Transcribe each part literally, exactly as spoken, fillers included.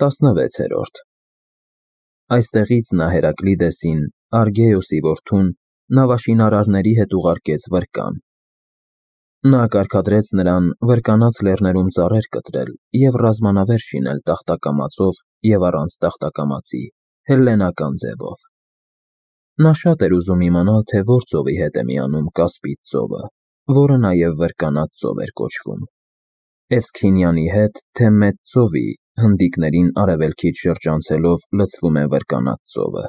տասնվեցերորդ Այստեղից նա Հերակլիդեսին, Արգեոսի որդուն, նավաշինարարների հետ ուղարկեց Վրկան. նա կարգադրեց նրան Վրկանաց լեռներում ծառեր կտրել և ռազմանավեր շինել տախտակամածով և առանց տախտակամածի, հելլենական ձևով. նա շատ էր ուզում իմանալ, թե որ ծովի հետ է միանում Կասպից ծովը, որը նաև Վրկանաց ծով էր կոչվում, Էվսքինյանի հետ, թե Մեծ ծովի, հնդիկներին արևելքից շրջանցելով լցվում է Վրկանաց ծովը,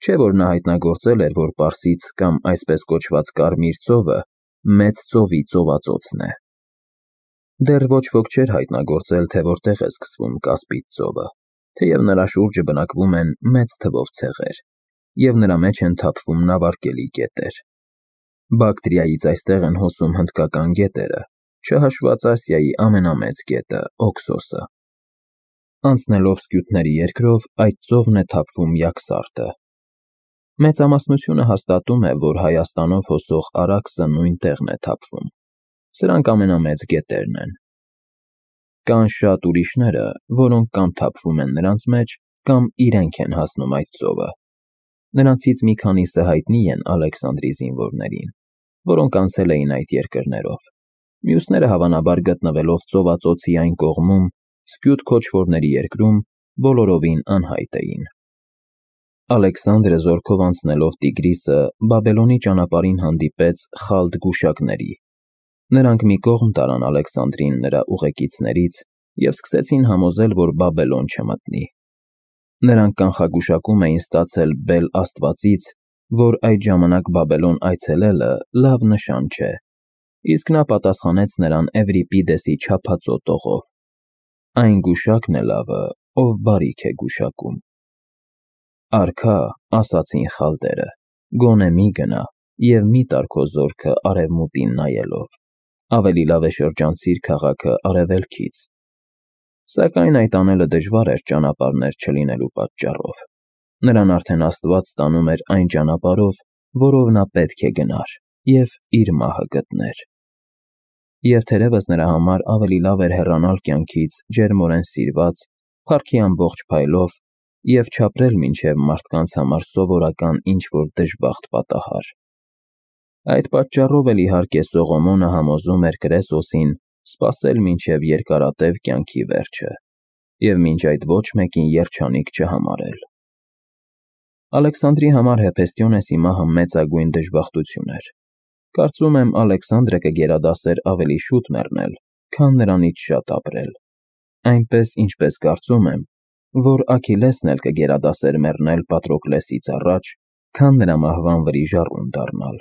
չէ՞ որ նա հայտնագործել էր, որ Պարսից կամ այսպես կոչված Կարմիր ծովը Մեծ ծովի ծովածոցն է. դեռ ոչ ոք չէր հայտնագործել, թե որտեղ է սկսվում Կասպից ծովը, թեև նրա շուրջը բնակվում են մեծ թվով ցեղեր, և նրա մեջ են թափվում նավարկելի գետեր. Բակտրիայից այստեղ են հոսում հնդկական գետերը, չհաշված Ասիայի ամենամեծ գետը՝ Օքսոսը. անցնելով Սկյութների երկրով, այդ ծովն է թափվում Յաքսարտը. մեծամասնությունը հաստատում է, որ Հայաստանով հոսող Արաքսը նույն տեղն է թափվում. սրանք ամենամեծ գետերն են. կան շատ ուրիշները, որոնք կամ թափվում են նրանց մեջ, կամ իրենք են հասնում այդ ծովը. նրանցից մի քանիսը հայտնի են Ալեքսանդրի զինվորներին, որոնք անցել էին այդ երկրներով, մյուսները հավանաբար գտնվելով ծովածոցի այն կողմում, Սկյութ քոչվորների երկրում, բոլորովին անհայտ էին. Ալեքսանդրը զորքով անցնելով Տիգրիսը, Բաբելոնի ճանապարհին հանդիպեց խալդ գուշակների. նրանք մի կողմ տարան Ալեքսանդրին նրա ուղեկիցներից և սկսեցին համոզել, որ Բաբելոն չմտնի. նրանք կանխագուշակում էին ստացել Բել աստվածից, որ այդ ժամանակ Բաբելոն այցելելը լավ նշան չէ, իսկ նա պատասխանեց նրան Էվրիպիդեսի չափածո տողով. այն գուշակն է լավը, ով բարիք է գուշակում: Արքա, ասացին խալդերը, գոնե մի գնա և մի տար քո զորքը արևմուտին նայելով, ավելի լավ է շրջանցիր քաղաքը արևելքից: Սակայն այդ անելը դժվար էր ճանապարհներ չլինելու պատճառով, նրան արդեն Աստված տանում էր այն ճանապարհով, որով նա պետք է գնար և իր մահը գտներ: Եվ թերևս նրա համար ավելի լավ էր հեռանալ կյանքից ջերմորեն սիրված, փառքի ամբողջ փայլով և չապրել մինչև մարդկանց համար սովորական ինչ-որ դժբախտ պատահար: Այդ պատճառով էլ իհարկե Սողոմոնը համոզում էր Կրեսոսին սպասել մինչև երկարատև կյանքի վերջը և մինչ այդ ոչ մեկին երջանիկ չհամարել: Ալեքսանդրի համար Հեփեստիոնեսի մահը մեծագույն դժբախտություն էր: Կարծում եմ Ալեքսանդրը կգերադասեր ավելի շուտ մեռնել, քան նրանից շատ ապրել, այնպես, ինչպես կարծում եմ, որ Աքիլեսն էլ կգերադասեր մեռնել Պատրոկլեսից առաջ, քան նրա մահվան վրիժառուն դառնալ: